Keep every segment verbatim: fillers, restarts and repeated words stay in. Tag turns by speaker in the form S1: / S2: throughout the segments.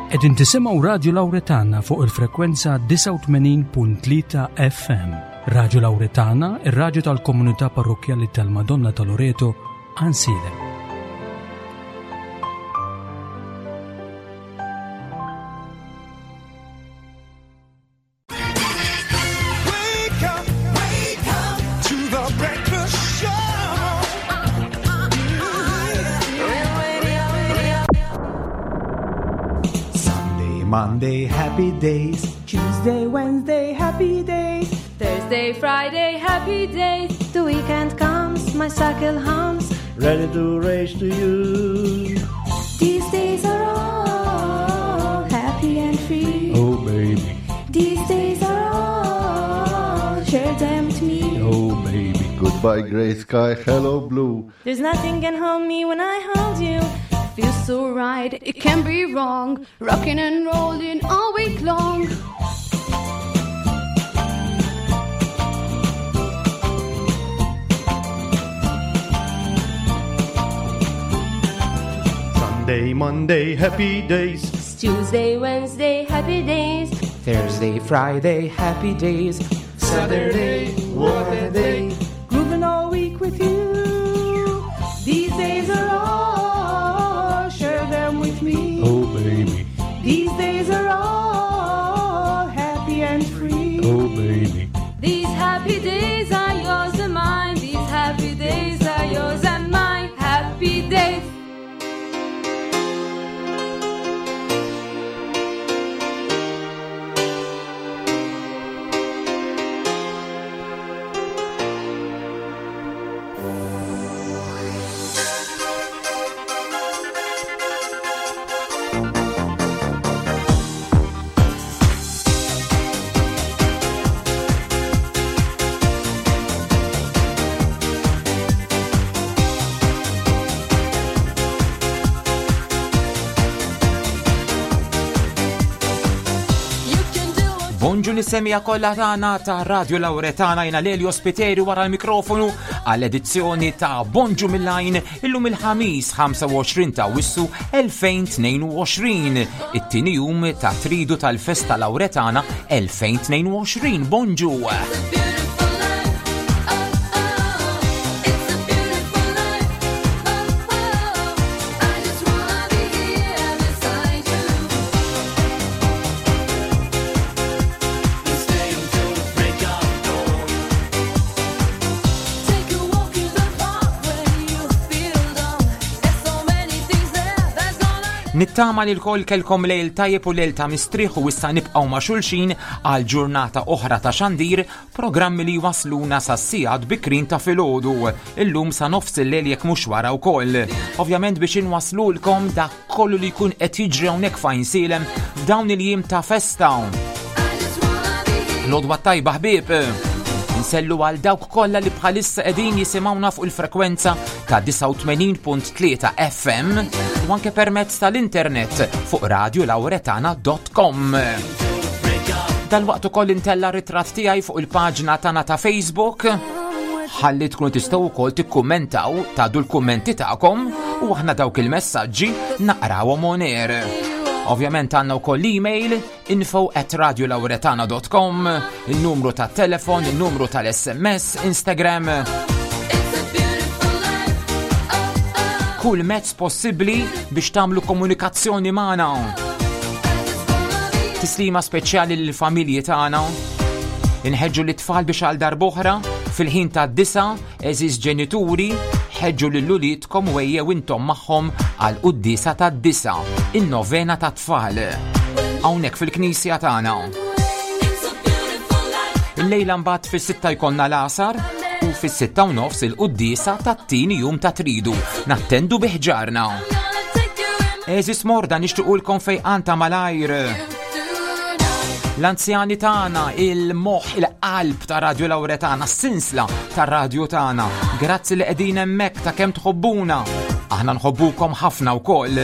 S1: Qegħdin tisimgħu Radio Lauretana fuq il-frekwenza disgħa u tmenin punt tlieta F M. Radio Lauretana, ir-radju tal-Komunità Parrokkjali tal-Madonna ta' Loreto, Għajnsielem.
S2: Monday, happy days.
S3: Tuesday, Wednesday, happy days.
S4: Thursday, Friday, happy days.
S3: The weekend comes, my cycle hums.
S2: Ready to race to you.
S3: These days are all happy and free.
S2: Oh, baby.
S3: These days are all, share them with me.
S2: Oh, baby.
S5: Goodbye, grey sky, hello, blue.
S3: There's nothing can hold me when I hold you.
S4: Feels so right, it can't be wrong. Rocking and rolling all week long.
S2: Sunday, Monday, happy days.
S4: It's Tuesday, Wednesday, happy days.
S6: Thursday, Friday, happy days.
S2: Saturday, what a day.
S3: Grooving all week with you. These days are all, share them with me.
S2: Oh, baby.
S3: These days are all happy and free.
S2: Oh, baby.
S4: These happy days are yours and mine. These happy days are yours and mine. Happy days.
S6: Bonġu lis-semija kollha tagħna ta' Radio Lauretana, jiena Lelio Spiteri wara l-mikrofonu għall-edizzjoni ta' Bonġu mill-Għajn illum il-ħamis ħamsa u għoxrin ta' Awwissu elfejn tnejn u għoxrin, it-tieni jum ta' tridu tal-Festa Lauretana elfejn tnejn u għoxrin. Bonġu! Nittama li l-koll kelkom lejl tajjeb u lejl ta' mistrieħ u issa nibqgħu ma' xulxin għal ġurnata oħra ta' xandir, programmi li wasluna sa' sigħat bikrin ta' filgħodu, illum sa' nofs il-lejl jekk mhux wara wkoll. Ovvjament biex inwaslulkom dak kollu li jkun qed jiġri hawnhekk f'Għajnsielem f'dawn il-jiem ta' festa. L-għodwa tajba ħbieb. Nsellu għal dawk kollha li bħalissa qegħdin jisimgħuna fuq il-frekwenza ta' disgħa u tmenin punt tlieta F M u anke permezz tal-internet fuq radio lauretana dot com. Dalwaqt ukoll intella ritratt tiegħi fuq il-paġna tagħna ta' Facebook, ħalli tkunu tistgħu wkoll tikkummentaw, tgħaddu l-kummenti tagħkom u aħna dawk il-messaġġi naqrawhom on air. Ovvjament għandna wkoll l-email info at radio lauretana dot com, il-numru ta' telefon, il-numru tal-S M S, Instagram. Kull mezz possibbli biex tagħmlu komunikazzjoni magħna. Tislima speċjali lill-familji tagħna. Inħeġġu lit-tfal biex għal darb'oħra fil-ħin tad-disa, għeżież ġenituri, ħeġġu lil uliedkom u ejjew intom magħhom għal quddiesa tad-disa, in-novena tat-tfal. Hawnhekk fil-knisja tagħna. Illejla mbagħad fis-sitta jkollna l-għasar u fis-sitta u nofs il-quddiesa tat-tieni jum ta' tridu. Nattendu bi ħġarna. Eżis morda nixtiequlkom fejqan ta' malajr. L-anzjani tagħna, il-moħħ, il-qalb ta' Radio Lauretana, s-sinsla ta' radio tagħna. Grazzi li qegħdin hemmhekk ta' kemm tħobbuna. Aħna nħobbukom ħafna wkoll.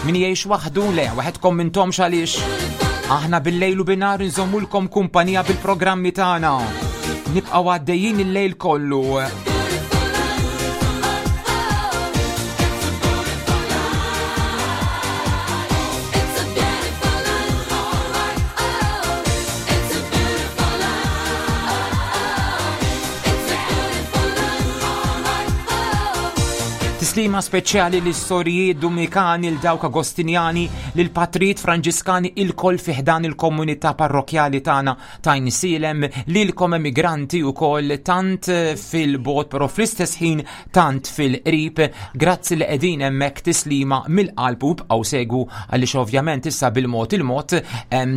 S6: Min jgħix waħdu le, waħedkom mintomx għaliex. Aħna bil-lejl u binhar nżommulkom kumpanija bil-programmi tagħna. Nibqgħu għaddejjin il-lejl kollu. Tislima speċjali lis sorijiet Dumnikani, l dawk Agostinjani, lil patrijiet Franġiskani, ilkoll fi ħdan il-komunità parrokjali tagħna ta' Għajnsielem, lilkom emigranti ukoll tant fil-bogħod però fl-istess ħin tant fil-qrib. Grazzi li qegħdin hemmhekk, tislima mill-qalb u bqgħu segwu għaliex ovvjament issa bil-mod il-mod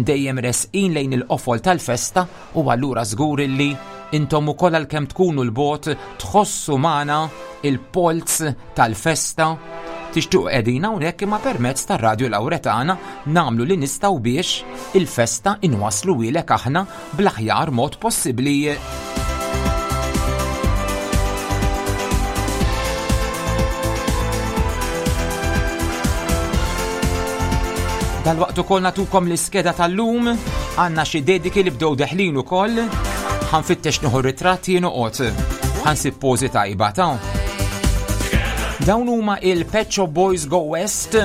S6: dejjem resqin lejn il-qofol tal-festa u allura żgur li intom ukoll, għalkemm tkunu 'l bogħod, tħossu magħna il-polz tal-festa, tixtuq qegħdin hawnhekk, imma permezz tar-Radio Lauretana nagħmlu li nistgħu biex il-festa inwassluhielek aħna bl-aħjar mod possibbli. Dal-waqt ukoll nagħtukom l-iskeda tal-lum, għandna xi dediki li bdew deħlin ukoll, ħa nfittex nieħu ritratti noqgħod. Ħa nsib pożi tajba ta'. Dawn huma il-Pet Shop Boys, Go West.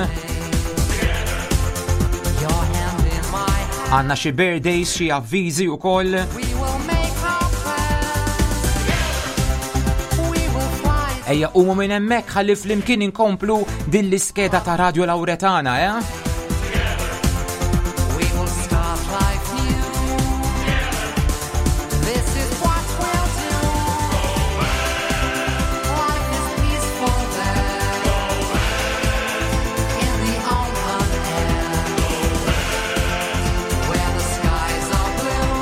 S6: Għandna xi birthdays, xi avviżi ukoll. Ejja qumu minn hemmhekk ħalli flimkien inkomplu din l-iskeda ta' Radio Lauretana, eh?
S7: We will start life new. This is what we'll do. Life is peaceful there in the open air, where the skies are blue.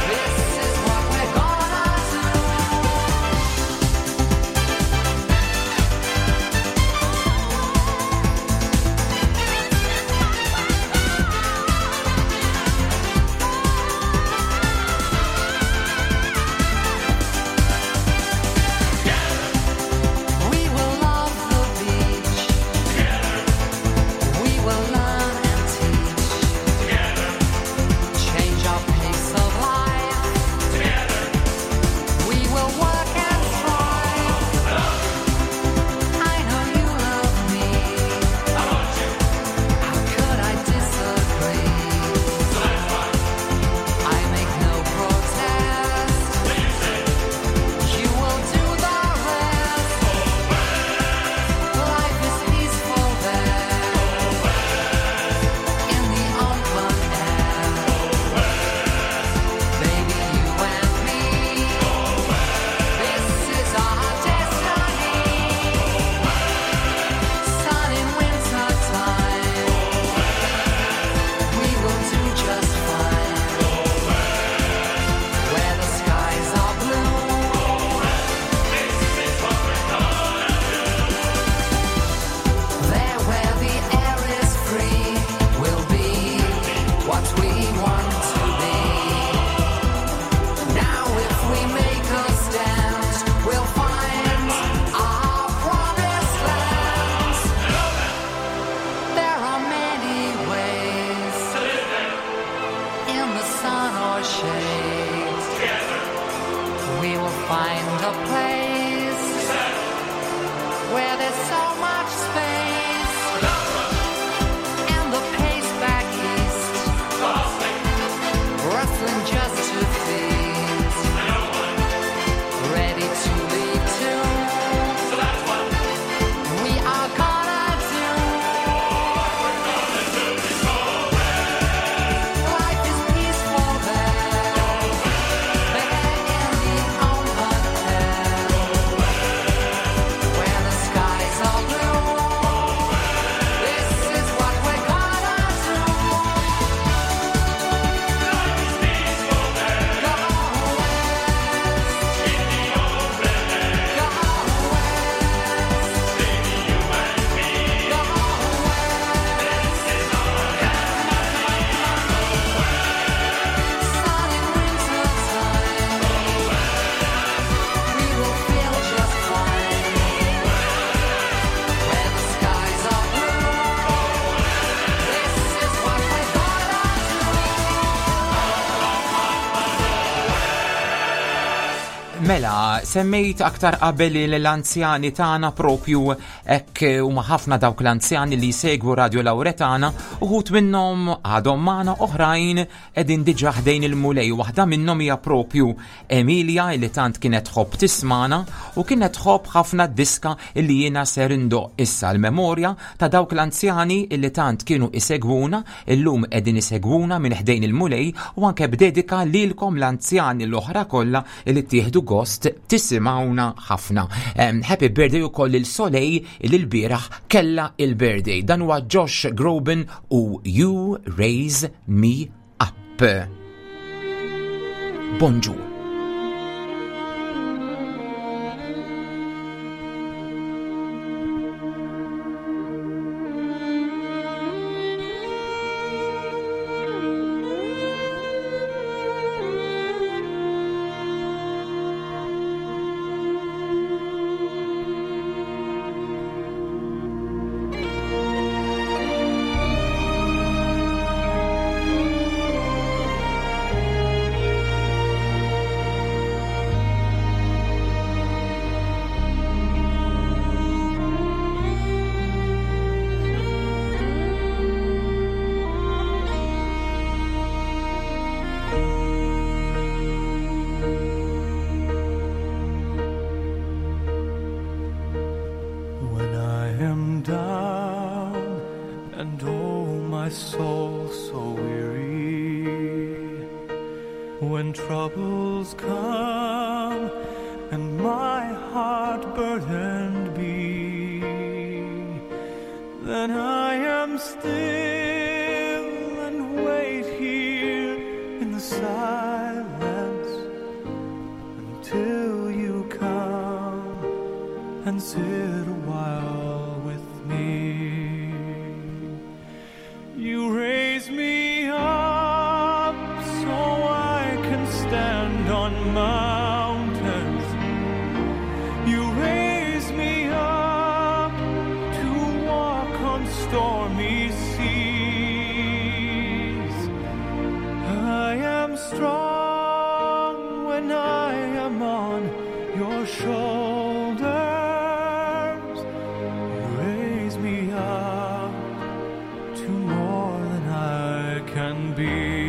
S7: This is what we're gonna do.
S6: Mela, semmejt aktar qabel l-anzjani tagħna propju hekk huma ħafna dawk l-anzjani li jsegwu Radio Lauretana, uħud minnhom għadhom magħna, oħrajn qegħdin diġà ħdejn il-Mulej. Waħda minnhom hija propju Emilia li tant kienet tħobb tismana u kienet tħobb ħafna diska li jiena ser indoq issa l-memorja ta' dawk l-anzjani li tant kienu isegwuna, illum qegħdin isegwuna minn ħdejn il-Mulej, u anke b'dedika lilkom l-anzjani l-oħra kollha li tieħdu gost tisimgħuna ħafna. Um, happy birthday ukoll lil Soleil li l-bieraħ kella il-birthday. Dan huwa Josh Groban u You Raise Me Up. Bonġu.
S2: When I am down and oh my soul so weary, when troubles come and my heart burdened be, then I am still and wait here in the silence until you come and sit a while with me. You raise me up so I can stand on mountains. You raise me up to walk on stormy seas. I am strong when I am on your shoulders. You raise me up to more than I can be.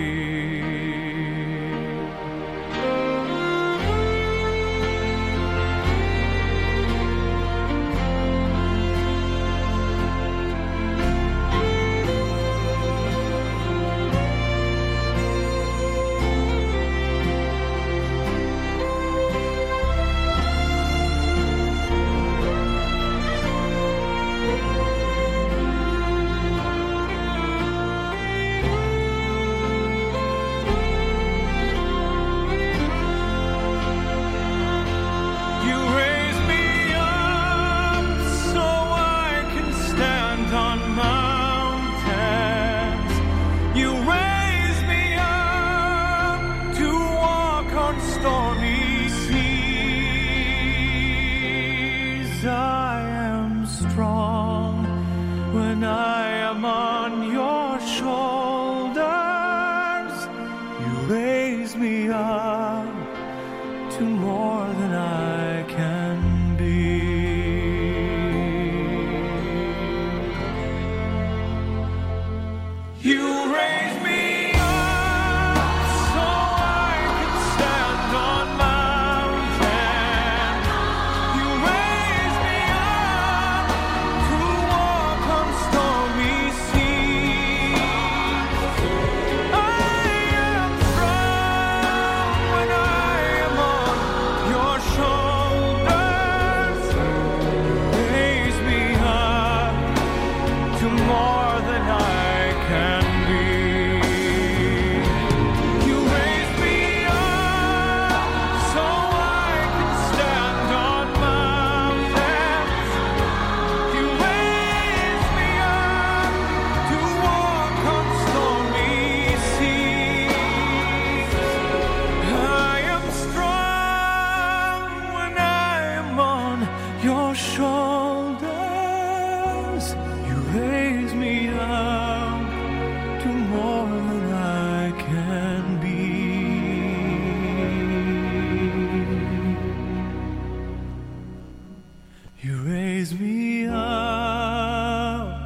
S2: You raise me up so I can stand on mountains. You raise me up to walk on stormy seas. I am strong when I am on your shoulders. You raise me up to more than I can be. You raise me up so I can stand on mountains. You raise me up to walk on stormy seas. I am strong when I am on your shoulders. Raise me up to more than I can be. You raise me up so I can stand on mountains. You raise me up to walk on stormy seas. I am strong when I am on your shoulders. You raise me up to more than I can be. You raise me up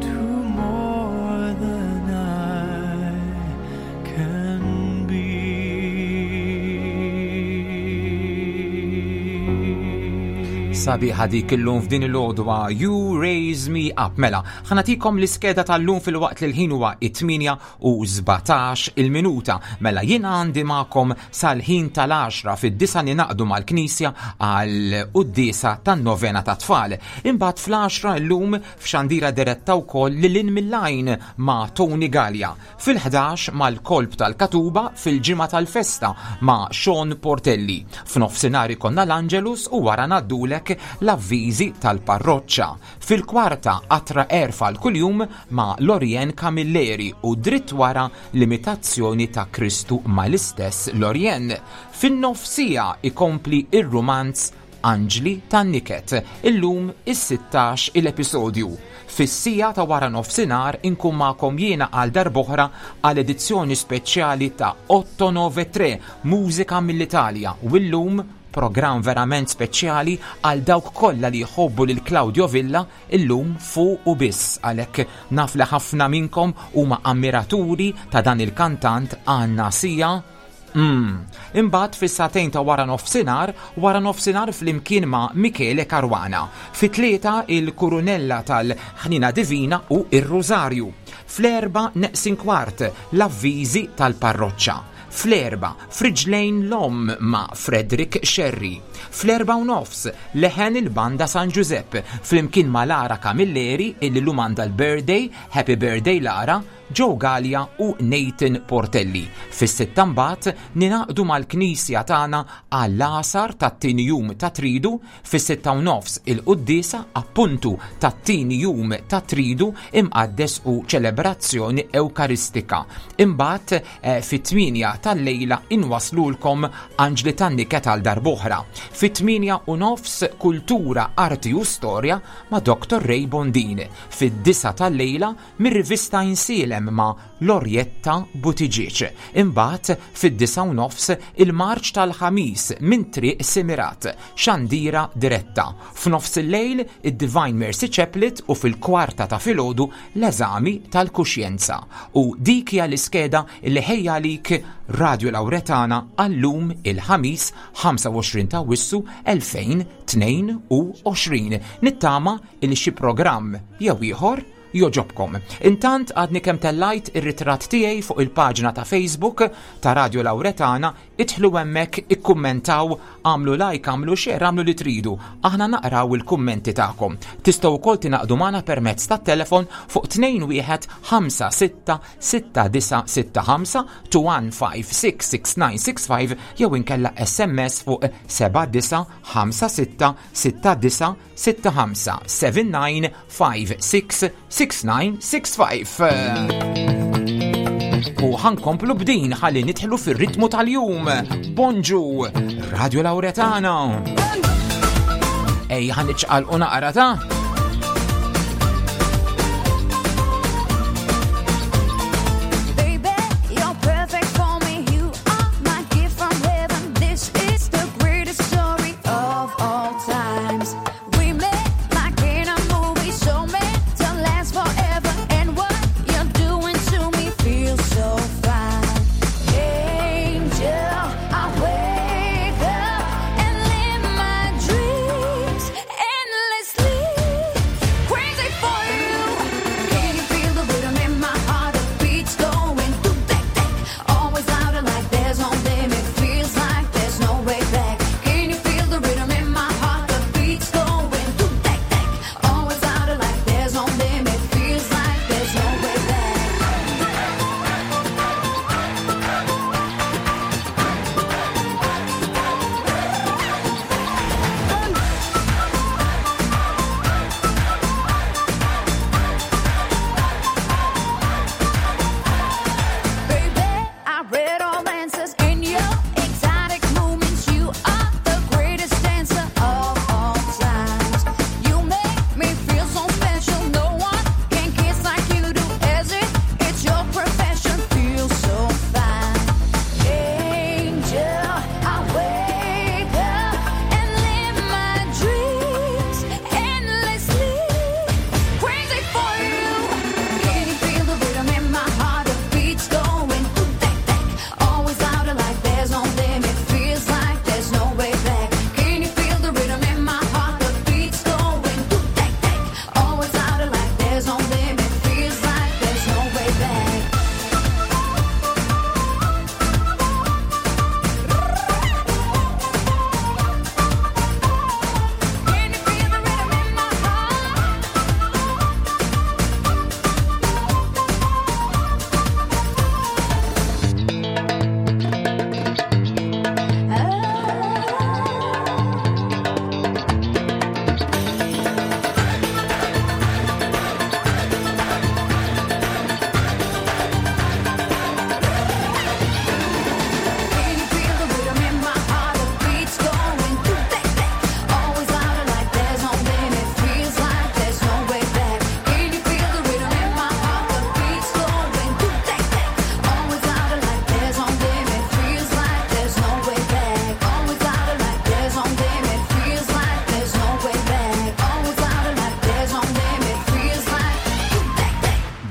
S2: to more than I can be.
S6: Sabiħa dik illum f'din il-għodwa You Raise Me Up. Mela, ħa nagħtikom l-iskeda tal-lum filwaqt li l-ħin huwa it-tmienja u sbatax il-minuta. Mela jien għandi magħkom sal-ħin tal-għaxra. Fid-disgħa ningħaqdu mal-Knisja għal quddiesa tan-novena ta' tfal. Imbagħad fl-għaxra llum f'xandira diretta wkoll lil hinn mill-għajn ma' Tony Gallia. Fil-ħdax mal-kolb tal-Katuba fil-ġimgħa tal-festa ma' Sean Portelli. F'nofsinhar ikollna l-Angelus u wara ngħaddulek l-avviżi tal-parroċċa. Fil-kwarta qatra għerf għal kuljum ma' Lorien Camilleri u dritt wara l-imitazzjoni ta' Kristu mal-istess Lorien. Fin-nofsija ikompli ir-rumanz Anġli tan-Niket, illum is-sittax il-episodju. Fis-siegħa ta' wara nofsinhar inkun magħkom jiena għal darb'oħra għal edizzjoni speċjali ta' otto nove tre Mużika mill-Italja u illum programm verament speċjali għal dawk kollha li jħobbu lil Claudio Villa, illum fuq u biss, għalhekk naf li ħafna minnkom huma ammiraturi ta' dan il-kantant, għandna sija. Mm. Imbagħad fis-sagħtejn ta' wara nofsinhar, wara nofsinhar flimkien ma' Michele Caruana. Fit-tlieta il-Kurunella tal-Ħnina Divina u ir-Rosario. Fl-erba neqsin kwart l-avviżi tal-parroċċa. Fl-erbgħa Friġlejn l-Omm ma' Frederick Sherry. Fl-erbgħa u nofs leħen il-Banda San Giuseppe flimkien ma' Lara Camilleri, illi llum għandha l-birthday, happy birthday Lara, Joe Gallia u Nathan Portelli. Fis-sitta mbagħad ningħaqdu mal-Knisja tagħna għall-għasar tat-tieni jum ta' Tridu, fis-sitta u nofs il-quddiesa appuntu tat-tieni jum ta' Tridu imqaddes u ċelebrazzjoni Ewkaristika. Imbagħad eh, fit-tmienja tal-lejla inwaslulkom Anġli tan-Niket għal darb'oħra. Fit-tmienja u nofs Kultura, Arti u Storja ma' Doktor Ray Bondin. Fid-disgħa tal-lejla mir-rivista Insilem ma' Lorietta Buttigieg. Imbagħad fid-disgħa u nofs il-marċ tal-ħamis minn Triq Simirat, xandira diretta. F'nofs il-lejl id-Divine Mercy Chaplet u fil-kwarta ta' filgħodu l-eżami tal-kuxjenza. U dik hija l-iskeda li ħejja għalik Radio Lauretana għallum il-ħamis ħamsa u għoxrin ta' Awwissu elfejn u tnejn u għoxrin. Nittama il xi programm jew ieħor jogħġobkom. Intant għadni kemm tellajt ir-ritratt tiegħi fuq il-paġna ta' Facebook ta' Radio Lauretana, idħlu hemmhekk, ikkummentaw, għamlu like, għamlu share, għamlu li tridu. Aħna naqraw il-kummenti tagħkom. Tistgħu wkoll tingħaqdu magħna permezz tat-telefon fuq tnejn wieħed ħamsa sitta sitta disa' sitta ħamsa, two one five six six nine six five, jew inkella S M S fuq seba' disa' ħamsa sitta sitta disa' sitta ħamsa, seven nine five six six nine six five. U ħa nkomplu b'din ħalli nidħlu fir-ritmu tal-jum. Bonġu, Radio Lauretana. Ej, ħa niċċaqalqu naqra ta'
S8: Baby, you're perfect for me. You are my gift from heaven. This is the greatest story of all times. We met like in a movie, so meant to last forever. And what you're doing to me feels so fine. Angel, I wake up and live my dreams endlessly.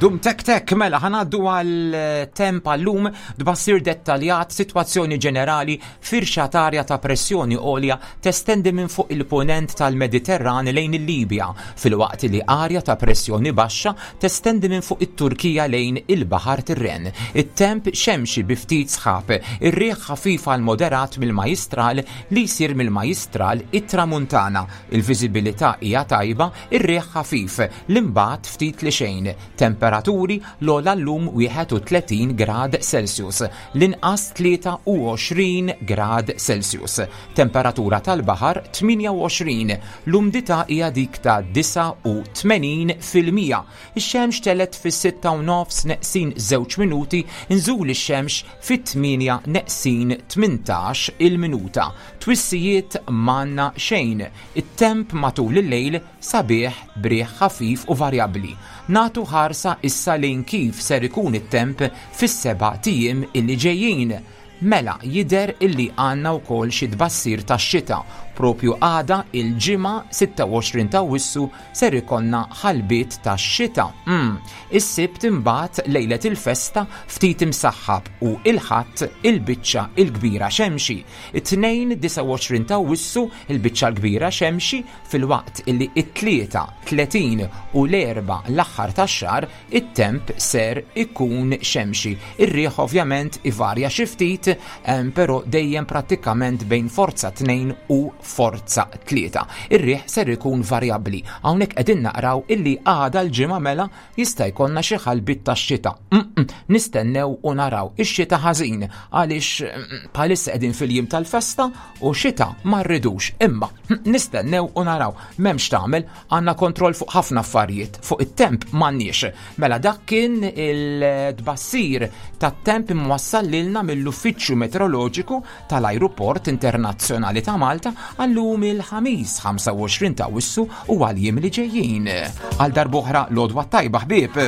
S6: Dum tek tek, mela ħa ngħaddu għal temp għal-lum tbassir dettaljat sitwazzjoni ġenerali firxa t'arja ta' pressjoni għolja testendi minn fuq il-ponent tal-Mediterran lejn il-Libja, filwaqt li arja ta' pressjoni baxxa testendi minn fuq it-Turkija lejn il-Baħar Tirren. It-temp xemxi bi ftit sħab, ir-riħ ħafif għal moderat mill-Majistral li jsir mill-Majistral it-Tramuntana. Il-viżibilità hija tajba, ir-riħ ħafif, l-imbagħad ftit li xejn. Temperaturi l-ogħla llum wieħed u tletin grad Celsius, l-inqas tlieta u għoxrin grad Celsius. Temperatura tal-baħar tmienja u għoxrin, l-umdità hija dik ta' disgħa u tmenin fil-mija. Ix-xemx telet fis-sitta u nofs neqsin żewġ minuti, nżul ix-xemx fit-tmienja neqsin tmintax il-minuta. Twissijiet manna xejn. It-temp matul il-lejl sabiħ briħ ħafif u varjabbli. Natu ħarsa issa lejn kif ser ikun it-temp fis-seba' tiem illi ġejjin. Mela jidher illi għandna wkoll xi tbassir tax-xita. Propju għada il-ġimgħa sitta u għoxrin ta' Awwissu ser ikollna ħalbiet tax-xita. Mm. Is-Sibt imbagħad lejlet il-festa ftit imsaħħab u il-Ħadd il-biċċa il-kbira xemxi. It-Tnejn disgħa u għoxrin ta' Awwissu il-biċċa l-kbira xemxi filwaqt illi it-Tlieta tletin u l-Erbgħa l-aħħar tax-xahar it-temp ser ikun xemxi. Ir-riħ ovvjament ivarja xi ftit, em, però dejjem prattikament bejn forza tnejn u forza tlieta. Ir-riħ ser ikun varjabbli. Hawnhekk qegħdin naqraw illi għada l-ġimgħa mela jista' jkollna xi ħalbiet tax-xita. Mm-mm, nistennew u naraw ix-xita ħażin għaliex, mm, bħalissa qegħdin fil-jiem tal-festa u xita ma rridux. Imma nistennew u naraw. M'hemmx tagħmel, għandna kontroll fuq ħafna affarijiet, fuq it-temp m'għandniex. Mela dak kien il-tbassir tat-temp imwassal lilna mill-Uffiċċju Meteoroloġiku tal-Ajruport Internazzjonali ta' Malta għallum il-Ħamis ħamsa u għoxrin ta' Awwissu u għal-jiem li ġejjin. Għal darb'oħra l-għodwa tajba ħbieb.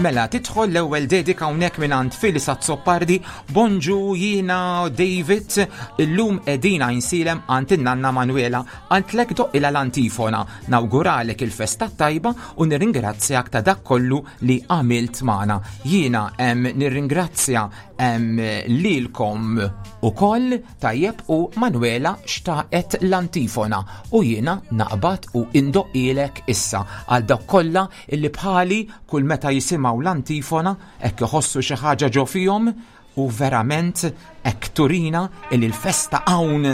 S6: Mela tidħol l-ewwel dedika hawnhekk mingħand Phyllis Azzopardi. Bonġu, jiena David, illum qegħdin Għajnsielem għand in-nanna Manuela, għandlek doqqilha l-antifona. Nawguralek il-festa tajba u nirringrazzjak ta' dak kollu li għamilt magħna. Jiena hemm nirringrazzja hemm lilkom ukoll tajjeb u Manuela xtaqet l-antifona u jiena naqbad u indoqqilek issa għal dawk kollha illi bħali kull meta jisimgħu l-antifona hekk iħossu xi ħaġa ġo fihom u verament hekk turina illi l-festa hawn.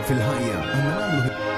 S9: Fil-ħajja għandna nagħmlu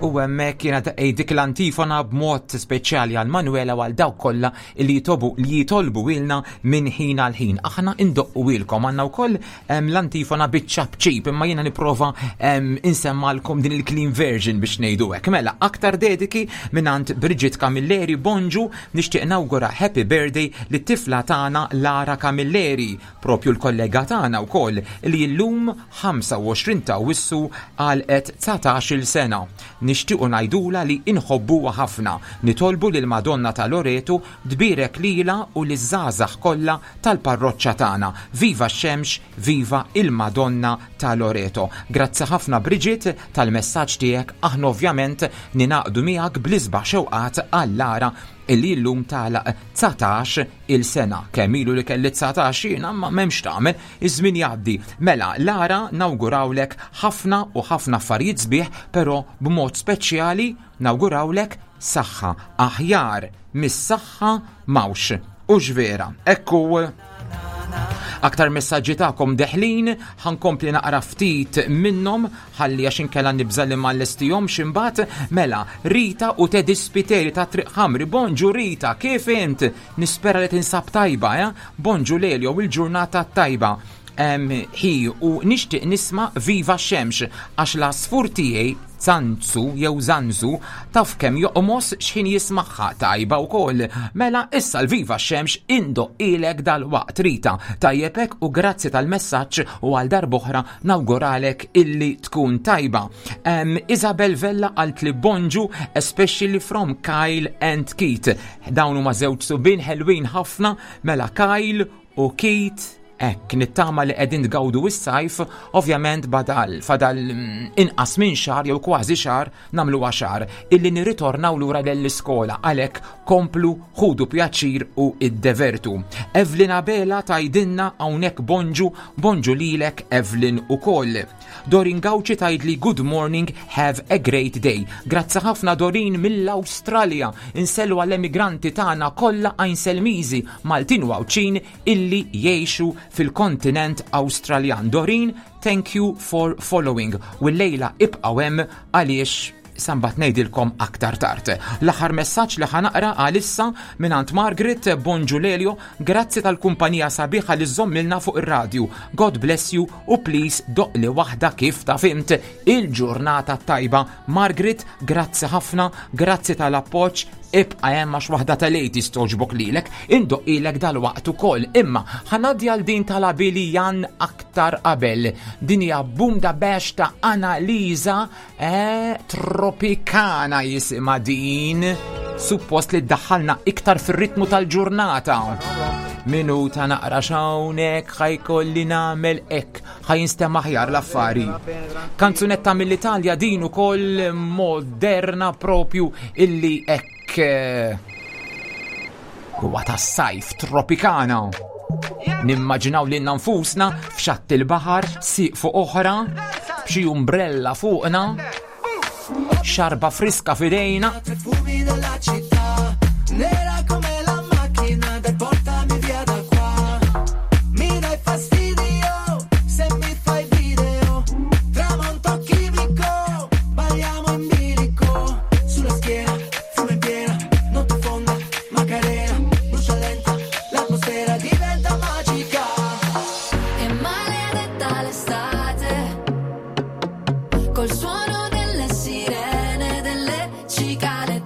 S6: U hemmhekk kienet dik l-antifona b'mod speċjali għal Manuela u għal dawk kollha li jitobu li jitolbu ilna minn ħin għal ħin. Aħna indoqqu ilkom, għandna wkoll l-antifona biċ-ċapċip, imma jiena nipprova insemmalkom din il-clean version biex ngħidu hekk. Mela, aktar dediki mingħand Bridget Camilleri. Bonġu, nixtieq nawgura happy birthday lit-tifla tagħna Lara Camilleri, propju l-kollega tagħna wkoll, li llum ħamsa u għoxrin ta' Awwissu għalqet dsatax-il sena. Nixtiequ ngħidula li inħobbuha ħafna. Nitolbu lil Madonna ta' Loreto tbierek lila u liż-żgħażagħ kollha tal-parroċċa tagħna. Viva x-xemx, viva il-Madonna ta' Loreto. Grazzi ħafna, Bridget, tal-messaġġ tiegħek. Aħna ovvjament ningħaqdu miegħek bl-isbaħ xewqat għal Lara illi llum tagħlaq dsatax il sena. Kemm ilu li kelli dsatax jiena, ma m'hemmx tagħmel, iż-żmien jgħaddi. Mela, Lara, nawgurawlek ħafna u ħafna affarijiet sbieħ, però b'mod speċjali nawgurawlek saħħa, aħjar mis-saħħa m'hawnx. U vera, ekku aktar messaġġi tagħkom deħlin, ħa nkompli naqra ftit minnhom ħalli għax inkella nibża li ma nlestihomx imbagħad. Mela, Rita u Teddy Spiteri ta' Triq Ħamri. Bonġu Rita, kif int? Nispera li tinsab tajba, eh? Bonġu Lelio, il-ġurnata tajba. Hi, u nixtieq nisma' Viva Xemx għax l-għasfur tiegħi Zanzu jew Zanzu taf kemm joqmos x'ħin jismagħha. Tajba wkoll. Mela issa l-Viva Xemx indoqqhielek dal-waqt, Rita. Tajjebek, u grazzi tal-messaġġ u għal darb'oħra nawguralek illi tkun tajba. Um, Isabel Vella qalt li bonġu, especially from Kyle and Keith. Dawn huma żewġ subien ħelwin ħafna, mela Kyle u Keith. Ek, nittama li qegħdin tgawdu s-sajf, ovvjament badal, fadal mm, inqas minn xahar jew kważi xahar, nagħmlu xahar, illi nirritornaw lura l-iskola, għalhekk komplu ħudu pjaċir u iddevertu. Evelyn Abela tgħidilna hawnhekk bonġu, bonġu lilek Evelyn ukoll. Dorin Gauci tgħidli good morning, have a great day. Grazzi ħafna, Dorin, mill-Awstralja. Insellmu għall-emigranti tagħna kollha Għajnselmiżi, Maltin u Għawdxin illi jgħixu fil-kontinent Awstraljan. Dorin, thank you for following. U l-lejla ibqgħu hemm għaliex sa mbagħad ngħidilkom aktar tard. L-aħħar messaġġ li ħa naqra għalissa mingħand Margaret. Bonġu Lelio, grazzi tal-kumpanija sabiħa li żżommilna fuq ir-radju. God bless you u please doqqli waħda kif ta' fimt il-ġurnata tajba. Margaret, grazzi ħafna, grazzi tal-appoġġ, ibqa' hemm għax waħda tal-eighties togħġbok lilek, indoqqhielek dal-waqt ukoll. Imma ħa ngħaddi għal din tal-abili Jan aktar qabel. Din hija Boom da Bash ta' Analiza, eh, Tropicana jisimha din. Suppost li ddaħħalna iktar fir-ritmu tal-ġurnata. Minuta naqra xawnek, ħa jkolli nagħmel hekk, ħa jinstema' aħjar l-affari. Kanzunetta mill-Italja din ukoll, moderna propju, illi hekk eh, huwa tas-sajf, Tropicana. Nimmaġinaw li nfusna f'xatt il-baħar, siq fuq oħra, b'xi umbrella fuqna, xarba friska f'idejna.
S7: Fumi della città, nera come la macchina, dai, portami via da qua. Mi dai fastidio se mi fai video. Tramonto chimico, balliamo in bilico. Sulla schiena, fumo in piena, notte fonda, Macarena, brucia lenta, l'atmosfera diventa magica.
S8: È maledetta l'estate, col suono delle sirene, delle cicale.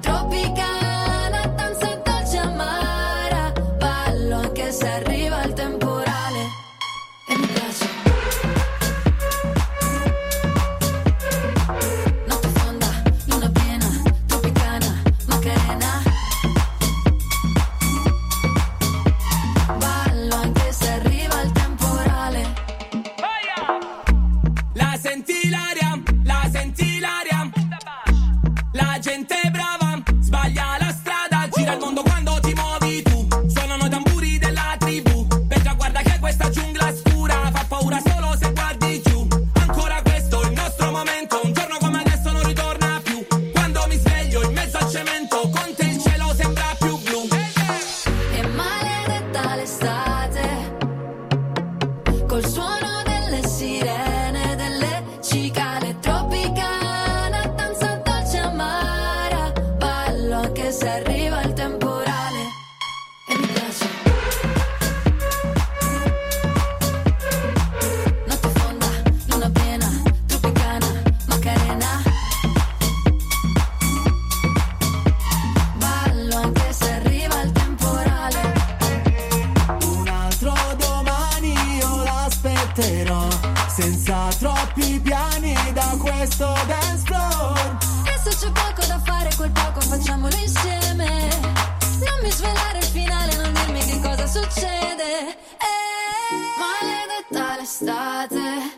S4: succede. Eh, maledetta l'estate,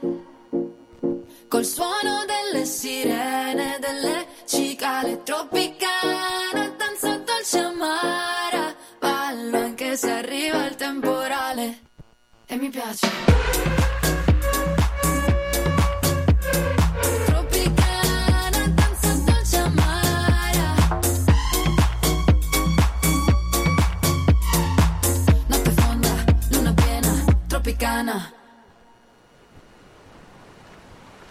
S4: col suono delle sirene, delle cicale tropicana, danza dolce amara, ballo anche se arriva il temporale e mi piace. Tropicana, danza dolce amara. Notte fonda, luna piena, tropicana.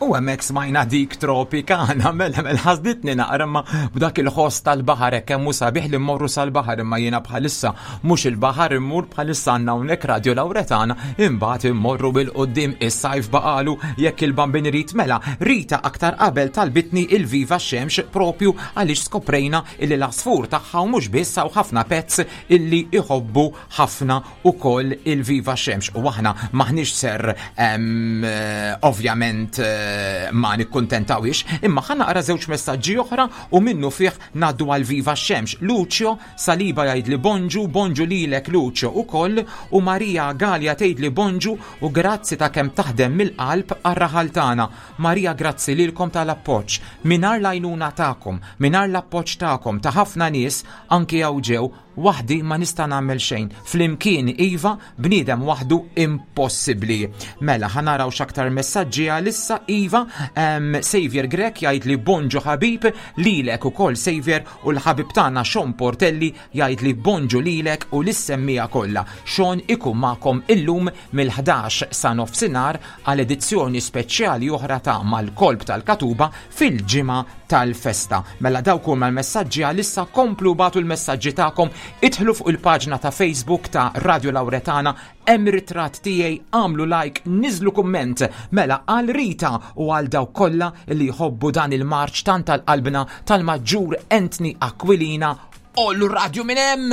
S6: U hemmhekk smajna dik tropikana, mela mela ħasditni naqra imma b'dak il-ħoss tal-baħar hekk kemm hu sabiħ li mmorru sal-baħar, imma jiena bħalissa mhux il-baħar immur, bħalissa għandna hawnhekk Radio Lauretana, imbagħad immorru bil-quddiem, is-sajf baqalu jekk il-Bambin irid. Mela Rita aktar qabel talbitni il-Viva Xemx propju għaliex skoprejna illi l-għasfur tagħha u mhux biss hawn ħafna pets illi iħobbu ħafna ukoll il-Viva Xemx, u aħna maħniex ser, em, eh, ovvjament, eh, ma nikkuntentawix, imma ħa naqra żewġ messaġġi oħra u minnu fih ngħaddu għal Viva Xemx. Lucio Saliba jgħid li bonġu, bonġu lilek Lucio ukoll, u Maria Gallia tgħid li bonġu u grazzi ta' kemm taħdem mill-qalb għar-raħal tagħna. Maria, grazzi lilkom tal-appoġġ. Mingħajr l-għajnuna tagħkom, mingħajr l-appoġġ tagħkom ta' ħafna nies anki hawn ġew, waħdi ma nista' nagħmel xejn. Flimkien iva, bniedem waħdu impossibbli. Mela ħa naraw x'aktar messaġġi għalissa. Iva, em, Xavier Grek jgħid li bonġu ħabib lilek ukoll Xavier, u l-ħabib tagħna Sean Portelli jgħid li bonġu lilek u lis-semmija kollha. Sean ikun magħkom illum mill-ħdax sa nofsinhar għal edizzjoni speċjali oħra ta' Mal-Kolb tal-Katuba fil-ġimgħa tal-festa. Mela dawk huma l-messaġġi għalissa, komplu bagħtu l-messaġġi tagħkom, idħlu fuq il-paġna ta' Facebook ta' Radio Lauretana, hemm ritratt tiegħi, għamlu like, niżlu kumment. Mela għal Rita u għal dawk kollha li jħobbu dan il-marċ tant tal-qalbna tal-Maġġur Anthony Aquilina, ollu radio minn hemm!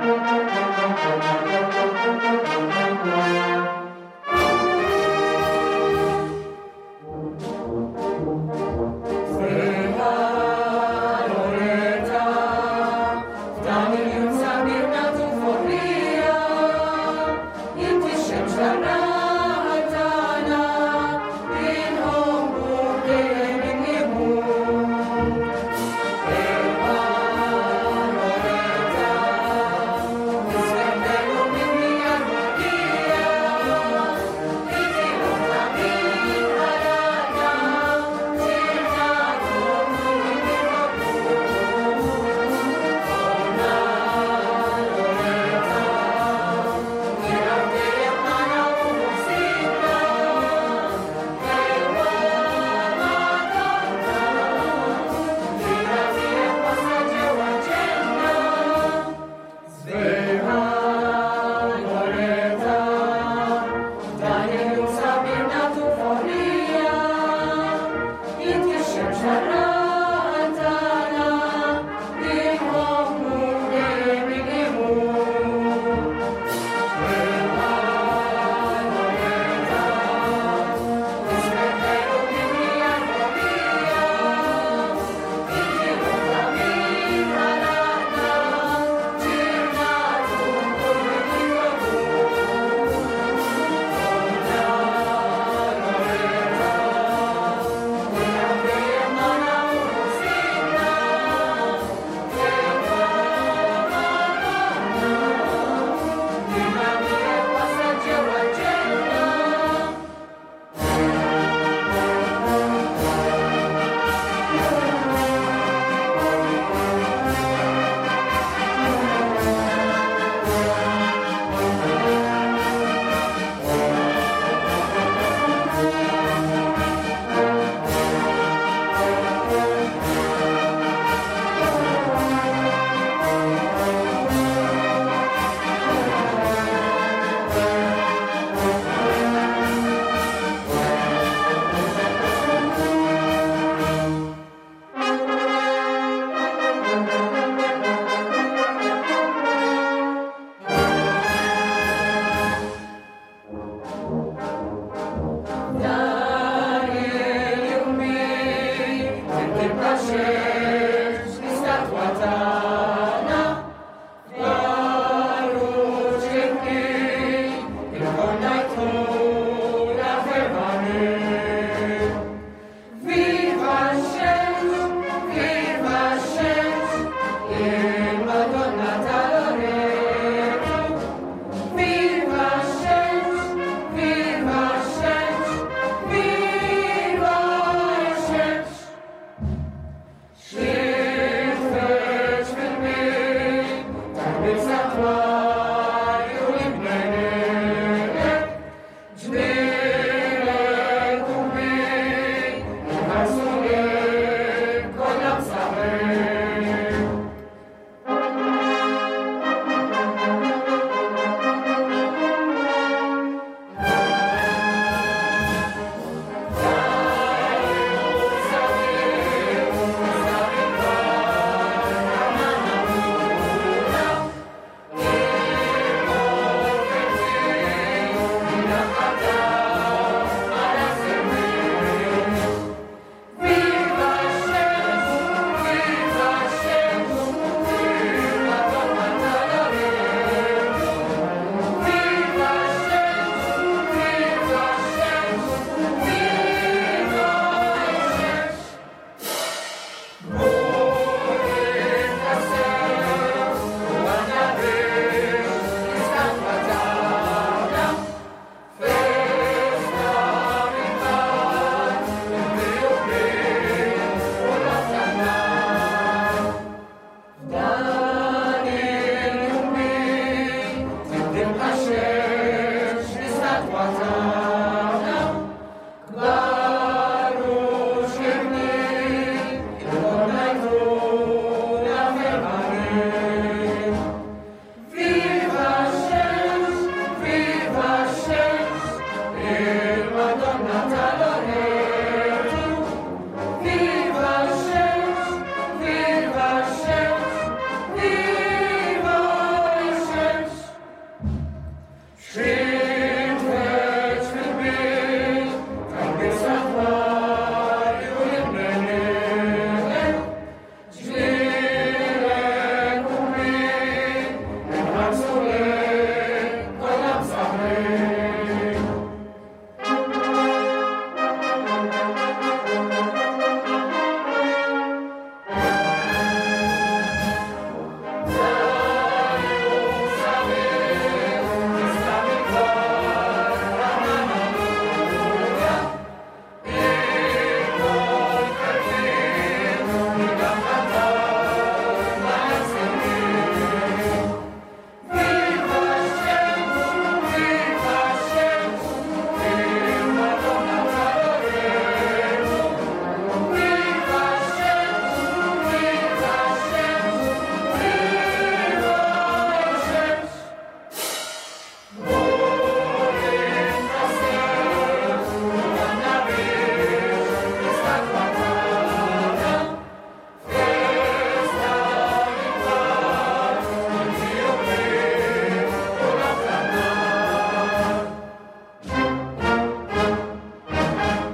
S2: Thank you.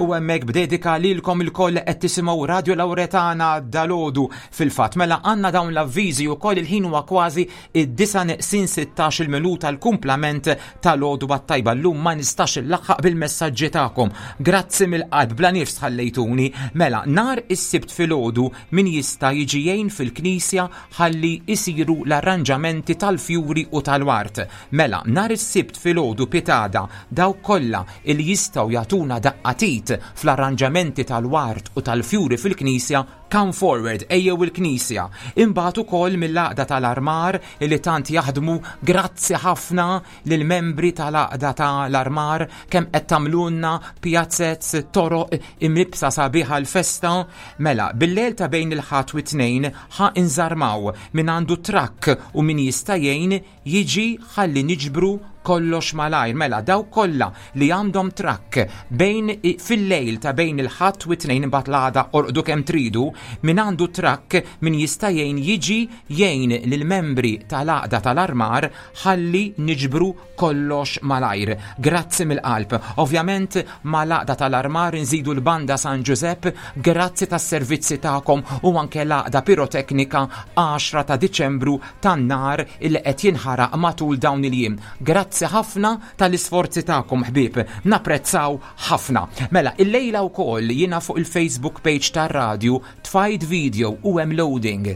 S6: U hemmhekk b'dedika lilkom ilkoll qed tisimgħu Radio Lauretana dalgħodu. Fil-fatt, mela għandna dawn l-avviżi wkoll. Il-ħin huwa kważi id-disa neqsin sittax-il minuta, l-kumplament tal-għodwa t-tajba. Llum ma nistax illaħħaq bil-messaġġi tagħkom. Grazzi mill-qalb, bla nifs ħallejtuni. Mela, nhar is-Sibt filgħodu min jista' jiġi jgħin fil-knisja ħalli isiru l-arranġamenti tal-fjuri u tal-wart. Mela, nhar is-Sibt filgħodu pitgħada, dawk kollha il jistgħu jagħtuna daqqa t'id fl-arranġamenti tal-wart u tal-fjuri fil-knisja, come forward, ejjew il-knisja. Imbagħad ukoll mill-għaqda tal-armar li tant jaħdmu, grazzi ħafna lill-membri tal-għaqda tal-armar kemm qed tagħmlulna pjazzez, toroq imlibsa sabiħa l-festa. Mela, bil-lejl ta' bejn il-Ħadd u t-Tnejn ħa inżarmaw. Min għandu trakk u min jista' jgħin jiġi ħalli niġbru kollox malajr. Mela, dawk kollha li għandhom trakk bejn fil-lejl ta' bejn il-Ħadd u t-Tnejn, imbagħad l-għada orqdu kemm tridu, min għandu trakk, min jista' jgħin jiġi jgħin lill-membri tal-għaqda tal-armar ħalli niġbru kollox malajr. Grazzi mill-qalb. Ovvjament mal-għaqda tal-armar nżidu l-banda San Giuseppe, grazzi tas-servizzi tagħkom, u anke l-għaqda piroteknika għaxra ta' Diċembru tan-nar il qed jinħaraq matul dawn il-jiem. Grazzi ħafna tal-isforzi tagħkom, ħbieb, napprezzaw ħafna. Mela, illejla wkoll jiena fuq il-Facebook page tar-radju tfajt video u hemm loading.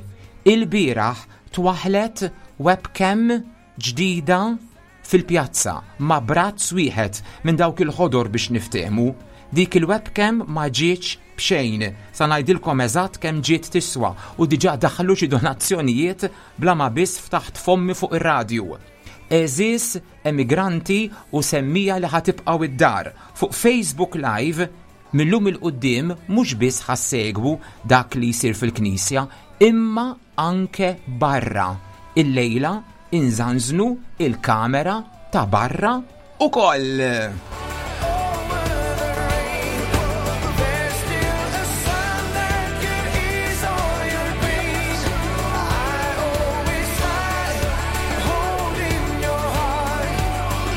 S6: Il-bieraħ twaħlet webcam ġdida fil-pjazza ma' brazz wieħed minn dawk il-ħodor biex niftehmu. Dik il-webcam ma ġietx b'xejn. Sa ngħidilkom eżatt kemm ġiet tiswa u diġà daħlu xi donazzjonijiet bla ma biss ftaħt fommi fuq ir-radju. Għeżież emigranti u semmiegħa li ħa tibqgħu id-dar. Fuq Facebook Live millum 'il quddiem mhux biss ħa ssegwu dak li jsir fil-knisja, imma anke barra. Illejla inżanżnu il-kamera ta' barra ukoll.
S2: There's still a sun that can ease all your pain. I always smile, holding your heart.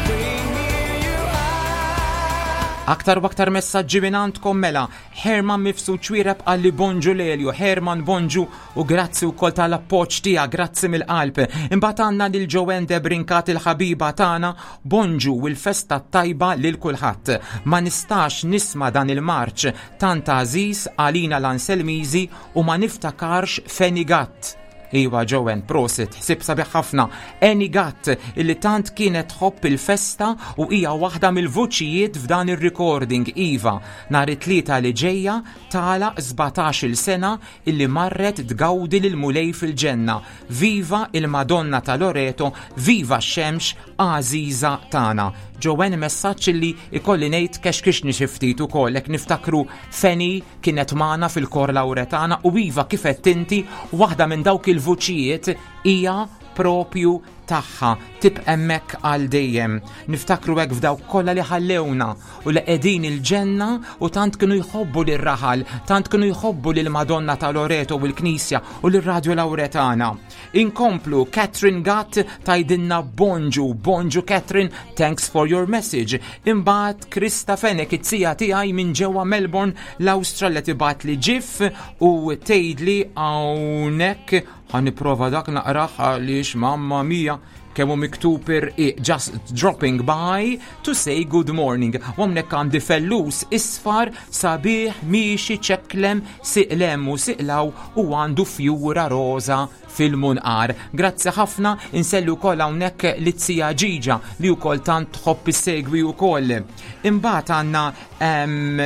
S2: Bring me your eyes.
S6: Aktar u aktar messaġġi minn għandkom. Mela, Herman Mifsud Xuereb qalli bonġu Lelio. Herman, bonġu u grazzi wkoll tal-appoġġ tiegħek, grazzi mill-qalb. Imbagħad għandna lil Joanne Debrincat, il-ħabiba tagħna, bonġu u l-festa tajba lil kulħadd. Ma nistax nisma' dan il-marċ tant għażiż għalina l-Anselmiżi u ma niftakarx f'Annie Gatt. Iwa Joanne, prosit, ħsib sabiħ ħafna. Annie Gatt, illi tant kienet tħobb il-festa u hija waħda mill-vuċijiet f'dan ir-recording. Iva, nhar it-Tlieta li ġejja tagħlaq sbatax-il sena illi marret tgawdi lil Mulej fil-ġenna. Viva il-Madonna ta' Loreto, viva x-xemx għażiża tagħna. Joanne, messaġġ illi ikolli ngħid kexkixni xi ftit ukoll hekk niftakru Feni kienet magħna fil-kor Lauretana u iva, kif qed inti, waħda minn dawk il-vuċijiet hija propju tagħha, tibqa' hemmhekk għal dejjem. Niftakru hekk f'dawk kollha li ħallewna u li qegħdin il-ġenna u tant kienu jħobbu lir-raħal, tant kienu jħobbu lil Madonna ta' Loreto u l-Knisja u lir-Radju Lauretana. Inkomplu, Catherine Gatt tgħidilna bonġu, bonġu Catherine, thanks for your message. Imbagħad Krista Fenek, it-tija tiegħi minn ġewwa Melbourne, l-Awstralja, tibgħatli gif u tgħidli hawnhekk, ħa nipprova dak naqrah għaliex mamma mia kemm hu miktub irqiq, "Just dropping by to say good morning." U hawnhekk għandi fellus isfar sabiħ miexi ċeklem siqlem u siqlaw u għandu fjura roza fil-munqar. Grazzi ħafna, insellu wkoll hawnhekk lit-tija Ġiġa li wkoll tant tħobb issegwi wkoll. Imbagħad għandna em,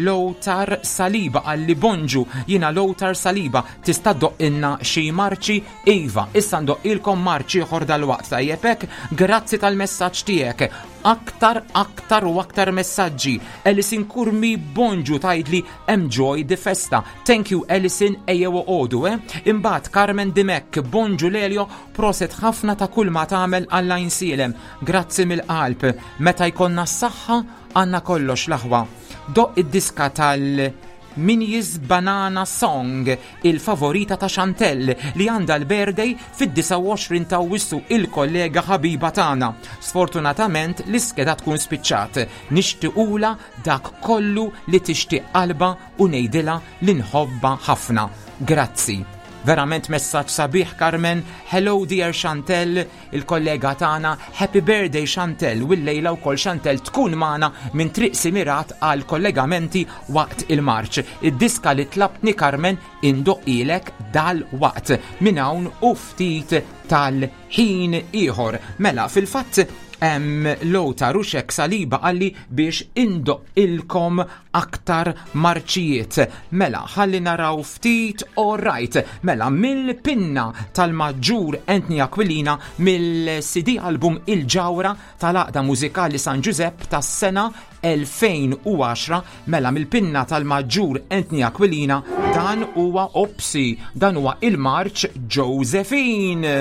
S6: Lothar Saliba qalli bonġu, jiena Lothar Saliba, tista' ddoqqilna xi marċi? Iva, issa ndoqqilkom marċi ieħor dalwaqt, tajjeb hekk, grazzi tal-messaġġ tiegħek. Aktar, aktar u aktar messaġġi. Alison Kurmi, bonġu, tgħidli "Enjoy the festa". Thank you, Alison, ejjew oqogħdu, eh? Imbagħad Carmen Dimek, bonġu Lelio, proset ħafna ta' kull ma tagħmel għall-Għajnsielem. Grazzi mill-qalb. Meta jkollna s-saħħa għandna kollox, l-aħwa. Doqq id-diska tal Minnie's Banana Song, il-favorita ta' Chantel li għandha l-birthday fid-disgħa u għoxrin ta' Awwissu, il-kollega ħabiba tagħna. Sfortunatament l-iskeda tkun spiċċat. Nixtiequla dak kollu li tixtieq qalba u ngħidilha li nħobba ħafna. Grazzi. Verament messaġġ sabiħ, Carmen. Hello, dear Chantel, il-kollega tagħna. Happy birthday, Chantel. U llejla wkoll Chantel tkun magħna minn Triq Simirat għal kollegamenti waqt il-marċ. Id-diska li tlabtni, Carmen, indoqqhielek dal-waqt minn hawn u ftit tal-ħin ieħor. Mela, fil-fatt Lota Ruxek Saliba qalli biex indoqqilkom aktar marċijiet. Mela, ħalli naraw ftit, all right. Mela, mill-pinna tal-Maġġur Anthony Aquilina, mill-C D album Il-Ġawra tal-Għaqda Mużikali San Giuseppe tas-sena elfejn u għaxra, mela mill-pinna tal-Maġġur Anthony Aquilina, dan huwa Opsi, dan huwa il-marċ Josephine.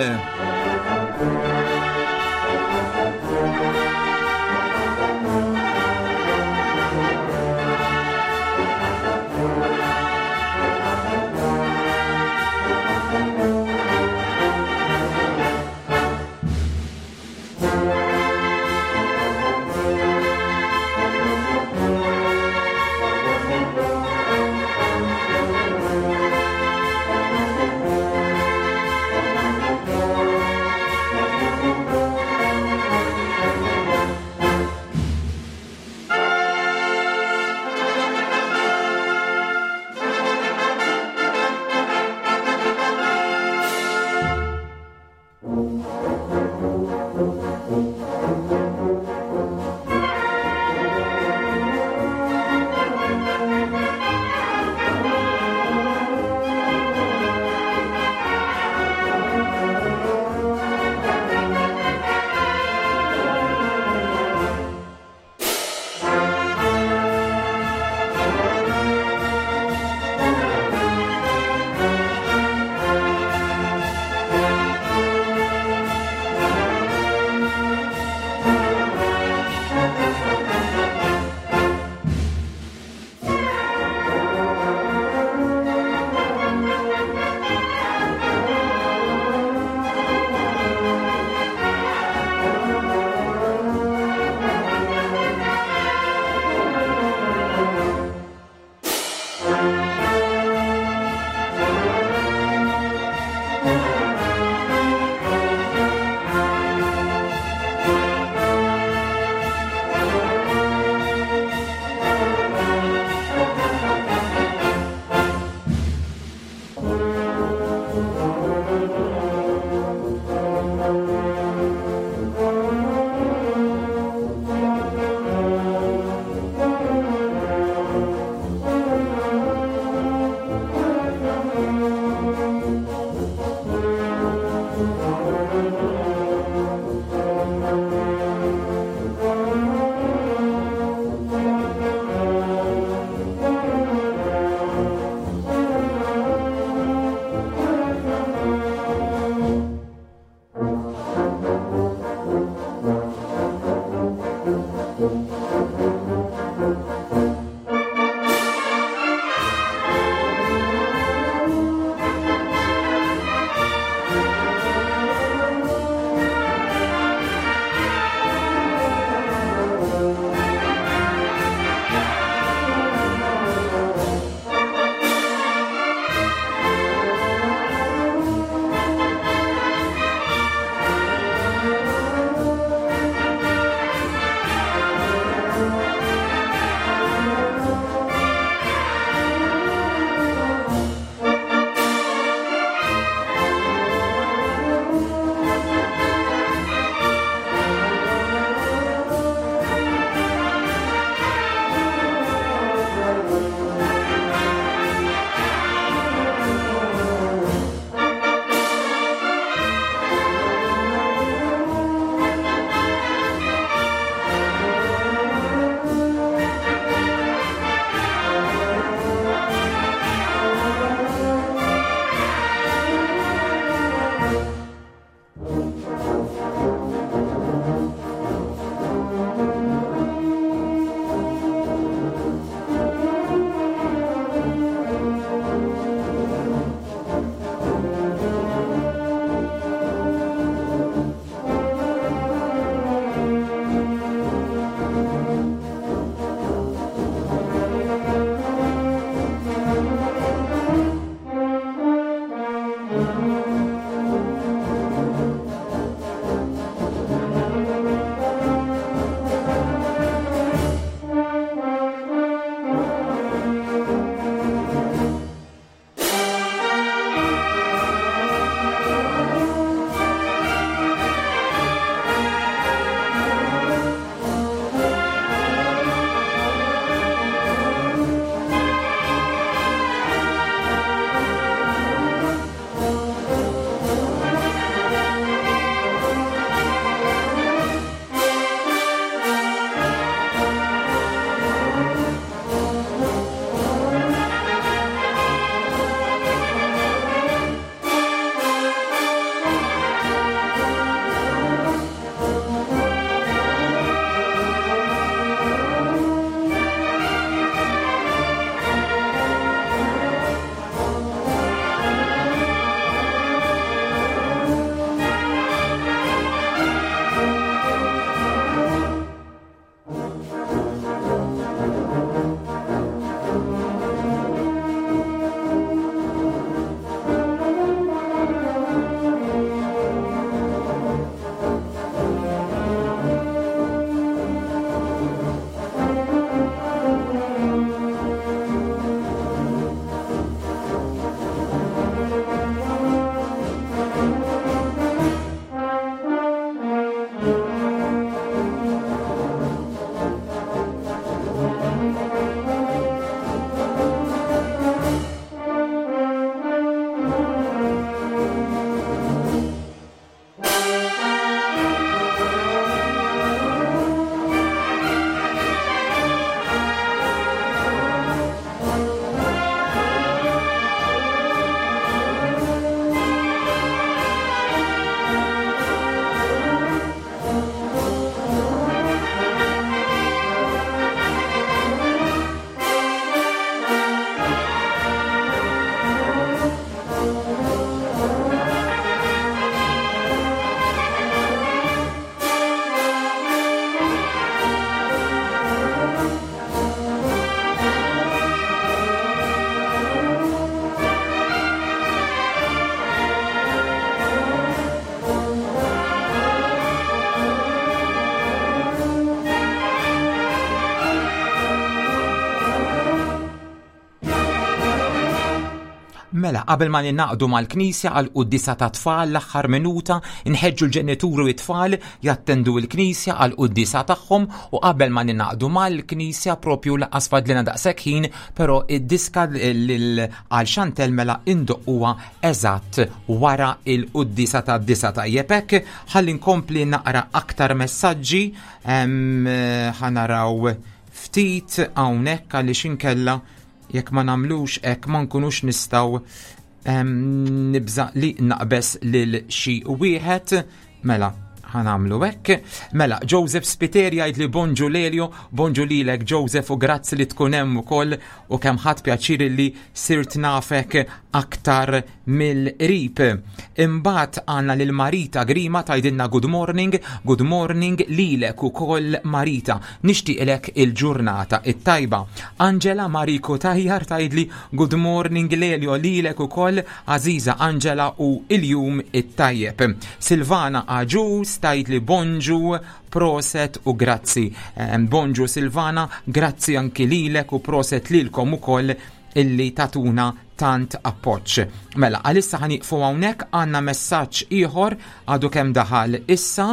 S6: Mela, qabel ma ninaqdu mal-Knisja għal quddisa ta' tfal l-aħħar minuta, nħeġġu l-ġenituri u t-tfal jattendu l-Knisja għal quddisa tagħhom u qabel ma ninaqdu mal-Knisja propju laqas fadlina daqshekk ħin, però id-diska għal Chantel mela indoqquha eżatt wara il-quddisa ta' disa tajjeb hekk. Ħalli nkompli naqra aktar messaġġi, ħanaraw ftit hawnhekk għaliex inkella jekk ma nagħmlux hekk ma nkunux nistgħu nibża li naqbes lil xi wieħed. Mela ħanamlu hekk. Mela Joseph Spiteri jgħid li bonġu Lelio, bonġu lilek Joseph u grazzi li tkun hemm ukoll u kemm ħadd pjaċir li sirt nafek aktar mill-qrib. Imbagħad għandna lil Marita Grima tgħidilna good morning, good morning lilek ukoll Marita. Nixtieqlek il-ġurnata it-tajba. Angela Mariko Tajjar tgħidli good morning Lelio lilek ukoll Aziza Angela u il-jum it-tajjeb. Silvana Aġus tgħidli bonġu, proset u grazzi. Bonġu Silvana, grazzi anki lilek u proset lilkom ukoll illi tatuna tant appoġġ. Mela, għalissa ħaniqfu hawnhekk, għandna messaġġ ieħor għadu kemm daħal issa.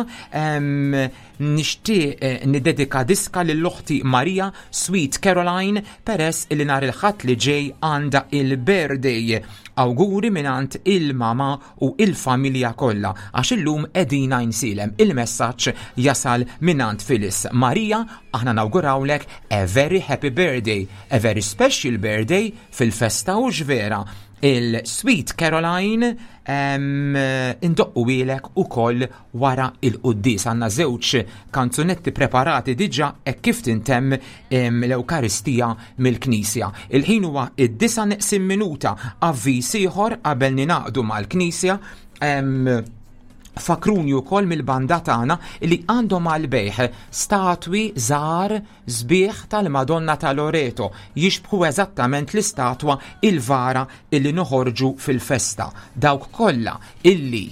S6: Nixtieq niddedika diska lil oħti Maria Sweet Caroline peress illi nhar il-Ħadd li ġej għandha il-birthday. Awguri mingħand il-mama u il-familja kollha għax illum qegħdin Għajnsielem. Il-messaġġ jasal mingħand Phyllis. Maria, aħna nawgurawlek a very happy birthday, a very special birthday fil-festa u vera. Il-Sweet Caroline indoqqu ilek u koll wara il-quddis. Għanna żewġ kanzunetti preparati diġa e kif tintemm l-Ewkaristija mill-Knisja. Il-ħin huwa id-disa neqsin minuta, avviż ieħor qabel ninaqdu mal-Knisja. Fakruni wkoll mill-banda tagħna li għandhom għal-bejħ statwi żgħar sbieħ tal-Madonna ta' Loreto, jixbħu eżattament l-istatwa il-vara illi noħorġu fil-festa. Dawk kollha illi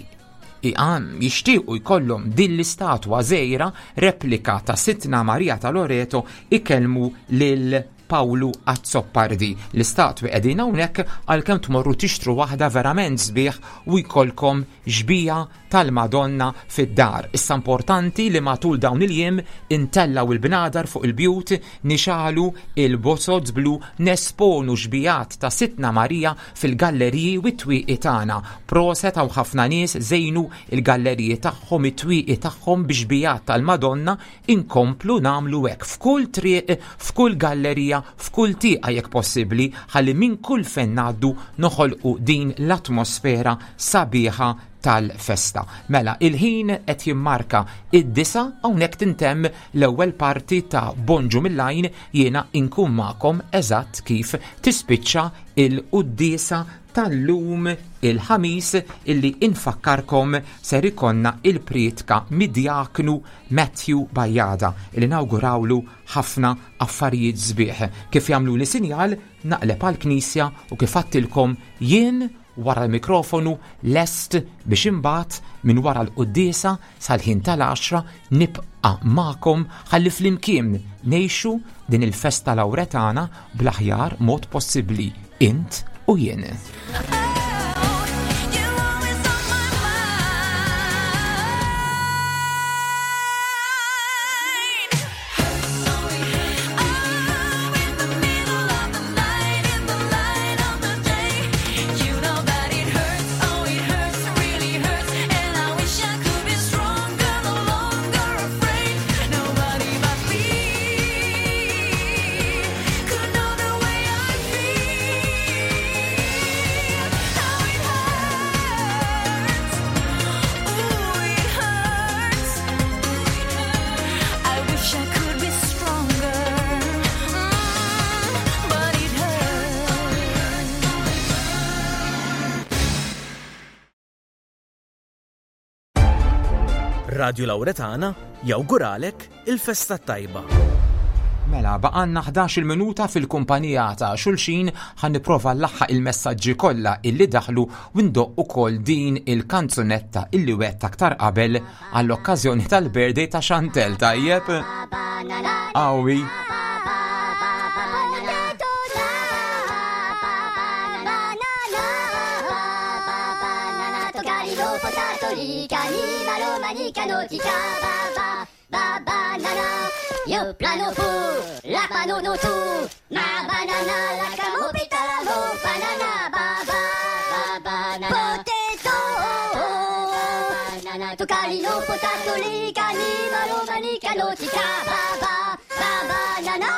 S6: għan jixtiequ jkollhom din l-istatwa żgħira replika ta' Sidtna Marija ta' Loreto ikellmu lil Pawlu Azzopardi. L-istatwi qegħdin hawnhekk għalkemm tmorru tixtru waħda verament sbieħ u jkollkom xbija tal-Madonna fid-dar. Issa importanti li matul dawn il-jiem intellaw il-bnadar fuq il-bjut, nixalu il-bozoz blu, nesponu xbijat ta' Sidtna Marija fil-galleriji u t-twieqi tagħna. Proset hawn ħafna nies żejnu il-galleriji tagħhom, it-twieqi tagħhom bi xbijat tal-Madonna. Inkomplu nagħmlu hekk f'kull triq, f'kull gallerija, f'kull tieqa jekk possibbli, ħalli minn kull fejn ngħaddu noħolqu din l-atmosfera sabiħa tal-festa. Mela, il-ħin qed jimmarka id-disa, hawnhekk tintemm l-ewwel parti ta' Bonġu mill-Għajn. Jiena inkun magħkom eżatt kif tispiċċa il-quddiesa tal-lum il-ħamis illi infakkarkom ser ikonna il-prietka mid-djaknu Matthew Bajada illi nawgurawlu ħafna affarijiet sbieħ. Kif jagħmlu li sinjal naqleb għall-knisja u kif għattilkom jien wara l-mikrofonu lest biex imbagħad minn wara l-quddiesa sal-ħin tal-għaxra nibqa' magħkom ħalli flimkien ngħixu din il-festa Lawretana bl-aħjar mod possibbli, int u jien.
S10: Radio Lauretana jawguralek il-festa tajba.
S6: Mela, baqanna ħdax-il minuta fil-kumpanija ta' xulxin, ħan nipprova nlaħħaq il-messaġġi kollha illi daħlu u ndoq ukoll din il-kanzunetta illi wett aktar qabel għall-okkażjoni tal-birthday ta' Chantel, tajjeb? Awi.
S11: potato, li, cani, malo, mani, cano, tica, ba, ba, ba, banana. Yo plano fu, la pano no tu, ma banana, la camo, pitalamo, banana, ba, ba, ba, banana. Potato, banana, tu calino, potato, li, cani, malo, mani, cano, tica, ba, ba, ba, banana.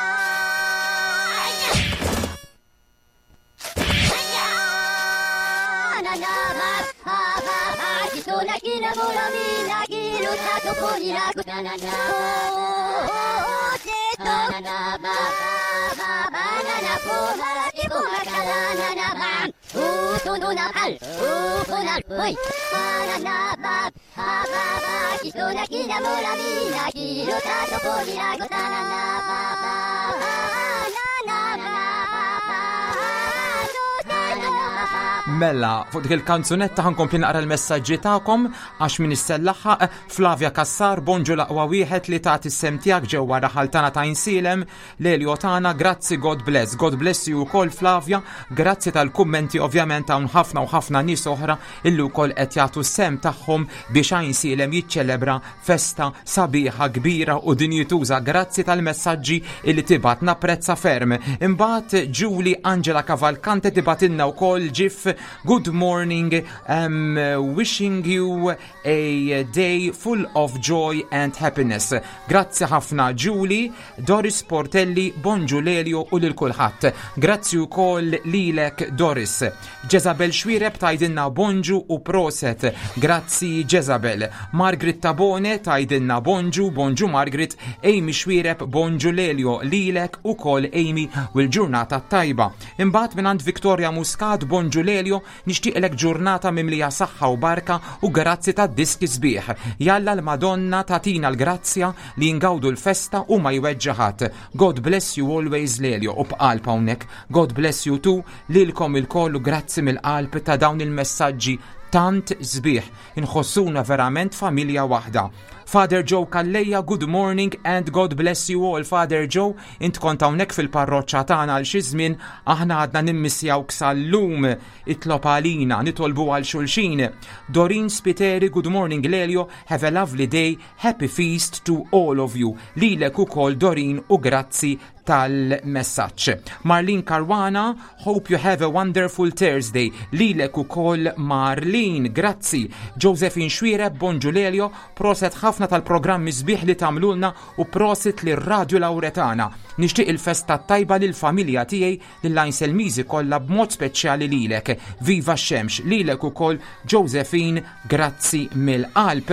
S6: Mela, fuq dik il-kanzunetta ħa nkompli naqra l-messaġġi tagħkom għax min issellaħħaq. Flavia Kassar, bonġu l-aqwa wieħed li tagħti s-sehem tiegħek ġewwa raħal tagħna ta' Għajnsielem, Lelio tagħna, grazzi, God bless. God bless you ukoll, Flavia, grazzi tal-kummenti. Ovvjament hawn ħafna u ħafna nies oħra illi wkoll qed jagħtu s-sehem tagħhom biex Għajnsielem jiċċelebra festa sabiħa, kbira u dinjituża. Grazzi tal-messaġġi illi tibgħat, napprezza ferm. Imbagħad Julie Angela Cavalcante tibgħatilna wkoll ġif: "Good morning, um, wishing you a day full of joy and happiness." Grazzi ħafna, Julie. Doris Portelli, bonġu Lelio u lil kulħadd. Grazzi wkoll lilek, Doris. Jezabel Xwireb tgħidilna bonġu u proset. Grazzi, Jezabel. Margaret Tabone tgħidilna bonġu, bonġu Margaret. Amy Xwireb, bonġu Lelio, lilek ukoll Amy u l-ġurnata tajba. Imbagħad mingħand Victoria Muscat, bonġu Lelio, nixtieqlek ġurnata mimlija saħħa u barka u grazzi ta' diski sbieħ. Jalla l-Madonna tagħtina l-grazzja li ngawdu l-festa u ma jweġġa' ħadd. God bless you always, Lelio, u b'qalb hawnhekk. God bless you too, lilkom ilkoll u grazzi mill-qalb ta' dawn il-messaġġi tant sbieħ. Inħossuna verament familja waħda. Father Joe Calleja, good morning and God bless you all. Father Joe, int kont hawnhekk fil-parroċċa tagħna għal xi żmien, aħna għadna nimmissjawk sal-lum. Itlob għalina, nitolbu għal xulxin. Dorin Spiteri, good morning Lelio, have a lovely day, happy feast to all of you. Lilek ukoll, Dorin, u grazzi tal-messaġġ. Marlene Caruana, hope you have a wonderful Thursday. Lilek ukoll, Marlene, grazzi. Josephine Xwireb, bonġu Lelio, proset ħafna tal-programmi sbieħ li tagħmlulna u prosit li Radio Lauretana. Nixtieq il-festa tajba lil familja tiegħi, lill-Għajnselmiżi kollha, b'mod speċjali lilek. Viva x-xemx, lilek ukoll, Josephine, grazzi mill-qalb.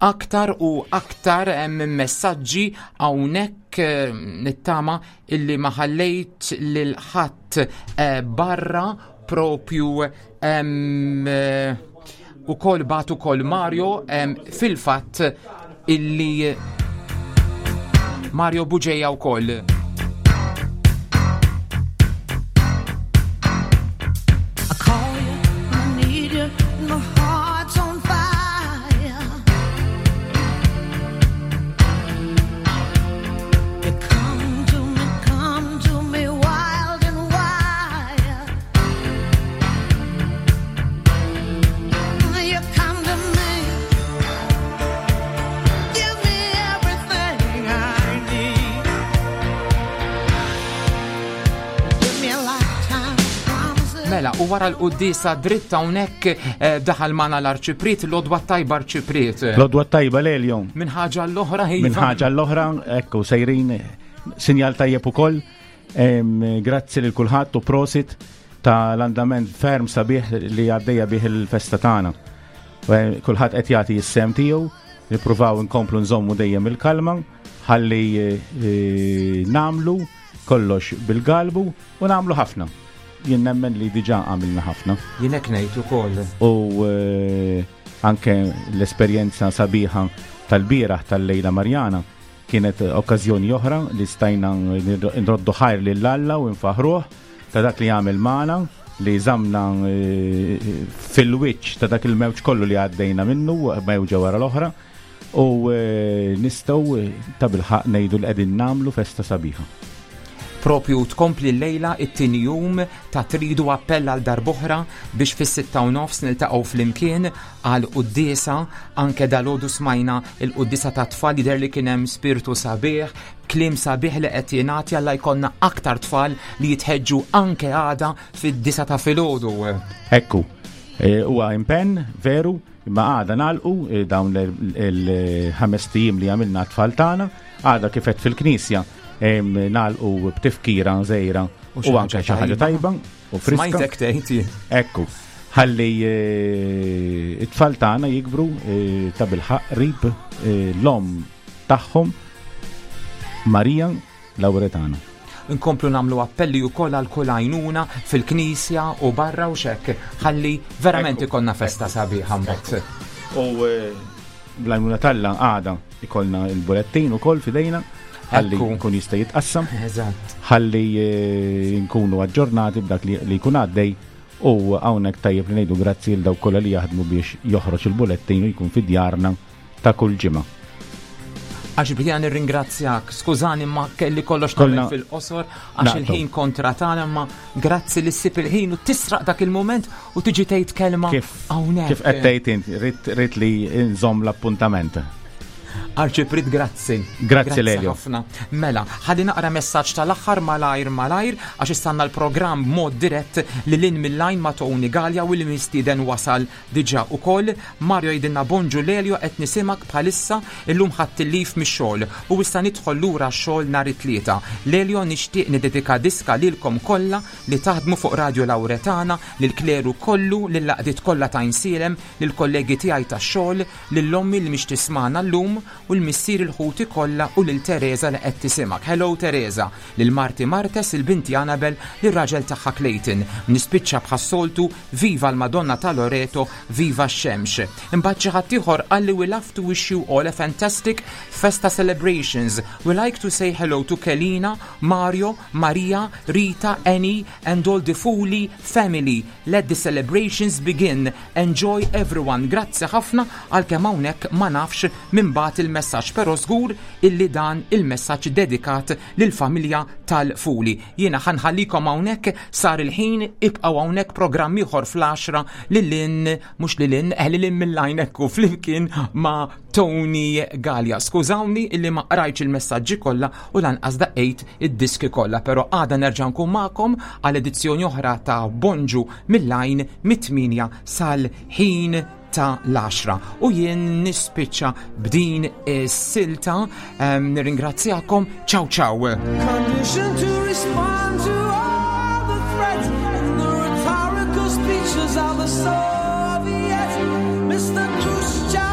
S6: Aktar u aktar hemm messaġġi hawnhekk, eh, nittama illi ma ħallejt lil ħadd eh, barra propju em, eh, ukoll bagħat ukoll Mario em, fil-fatt illi Mario Buġeja wkoll.
S7: I call you, I need you, my heart's on fire. You come to me, come to me wild and wild. You come to me, give me everything I need. Give me a lifetime of promises.
S6: Mela, u wara l-quddiesa dritta hawnhekk eh, daħal magħna l-Arċipriet, l-għodwa tajba, Arċipriet.
S12: L-għodwa tajba, Lelio.
S6: Minn ħaġa l-oħra.
S12: Minn ħaġa l-oħra, ekku, sejrin sinjal tajjeb ukoll. Em, Grazzi lil kulħadd u prosit ta' l-andament ferm sabiħ li għaddejja bih il-festa tagħna. Eh, Kulħadd qed jagħti s-sehem tiegħu, nippruvaw nkomplu nżommu dejjem il-kalma, ħalli eh, nagħmlu kollox bil-galbu u nagħmlu ħafna. Jien nemmen li diġà għamilna ħafna.
S6: Jien hekk ngħid ukoll.
S12: U eh, anke l-esperjenza sabiħa tal-bieraħ tal-Lejla Marjana kienet okkażjoni oħra li stajna nroddu ħajr lil Alla u nfaħruh ta' dak li għamel magħna, li żamna eh, fil-wiċċ ta' dak il-mewġ kollu li għaddejna minnu, mewġa wara l-oħra, u eh, nistgħu eh, ta' bilħaqq ngħidu li qegħdin nagħmlu festa sabiħa.
S6: Propju tkompli l-lejla it-tieni jum ta' tridu appell għal darb'oħra biex fis-sitta u nofs niltaqgħu flimkien għal quddiesa. Anke dalgħodu smajna il-quddiesa ta' tfal, jidher li kien hemm spiritu sabiħ, kliem sabiħ li qed jingħati. Alla jkollna aktar tfal li jitħeġġu anke għada fid-disgħa ta' filgħodu.
S12: Ekku, e, huwa impenn veru, imma għada nagħlqu e, dawn il-ħames ijiem li għamilna tfal tagħna, għada kif qed fil-knisja em, nagħlqu b'tifkira żgħira
S6: u xi
S12: u anke xi ħaġa tajba u friska.
S6: Smajtek tgħid.
S12: Ekku, ħalli eh, it-tfal tagħna jikbru eh, ta' bilħaq qrib eh, l-omm tagħhom Marija Lauretana.
S6: Nkomplu nagħmlu appelli wkoll għal kull għajnuna fil-knisja u barra u xek, ħalli verament ikollna festa sabiħa mbagħad.
S12: U eh, bl-għajnuna t'Alla għada ikollna il-bulettin ukoll f'idejna ħalli
S6: Ekku.
S12: nkun jista' jitqassam.
S6: Eżatt.
S12: Ħalli eh, nkunu aġġornati b'dak li li jkun għaddej u hawnhekk tajjeb li ngħidu grazzi lil dawk kollha li jaħdmu biex joħroġ il-bulettin u jkun fi djarna ta' kull ġimgħa.
S6: Għax bdejna nirringrazzjak, skużani ma kelli kollox
S12: Kollna
S6: nagħmel fil-qosor għax
S12: naqtgħu.
S6: il-ħin kontra tagħna, imma grazzi li ssib il-ħin u tisraq dak il-moment u tiġi tgħid kelma hawnhekk.
S12: Kif qed tgħid int, rrid rrid li nżomm l-appuntament.
S6: Arċiprit, grazzi.
S12: Grazzi, Lelio.
S6: Ħafna. Mela, ħalli naqra messaġġ tal-aħħar malajr malajr għax istanna l-programm mod dirett li lin mill-lajn ma' Tony Gallia u li mistieden wasal diġà ukoll. Mario jgħidilna: "Bonġu Lelio, qed nisimgħek bħalissa, illum ħadt il-leave mix-xogħol u issa nidħol lura x-xogħol nhar it-Tlieta. Lelio, nixtieq nidedika diska lilkom kollha li taħdmu fuq Radio Lauretana, lil kleru kollu, lill-għaqdiet kollha ta' Għajnsielem, lill-kollegi tiegħi tax-xogħol, lil ommi li mhix tismagħna llum u l-missier il-ħuti kollha u lil Teresa li qed tisimgħek. Hello Teresa, lil Marti Martes, il-binti Annabel, lir-raġel tagħha Clayton. Nispiċċa bħas-soltu, viva l-Madonna ta' Loreto, viva x-xemx." Imbagħad xi ħadd ieħor qalli: "We love to wish you all a fantastic Festa celebrations. We like to say hello to Kelina, Mario, Maria, Rita, Annie and all the Fuli family. Let the celebrations begin. Enjoy everyone." Grazzi ħafna, għalkemm hawnhekk ma nafx min bagħat il-messaġġ, però żgur illi dan il-messaġġ dedikat lill-familja tal-Fuli. Jiena ħa nħallikom hawnhekk, sar il-ħin, ibqgħu hawnhekk, programm ieħor fl-għaxra lil mhux lil eh, lil mill-lajn ekku flimkien ma' Tony Gallia. Skużawni illi ma qrajtx il-messaġġi kollha u lanqas daqqejt id-diski kollha, però għada nerġa' nkun magħkom għal edizzjoni oħra ta' Bonġu mill-lajn mit-tmienja sal-ħin ta' l-għaxra. U jien nispiċċa b'din is-silta, um, nirringrazzjakom, ciao ciao.
S7: Conditioned to respond to all the threats and the rhetorical speeches of the Soviets. Mister Khrushchev.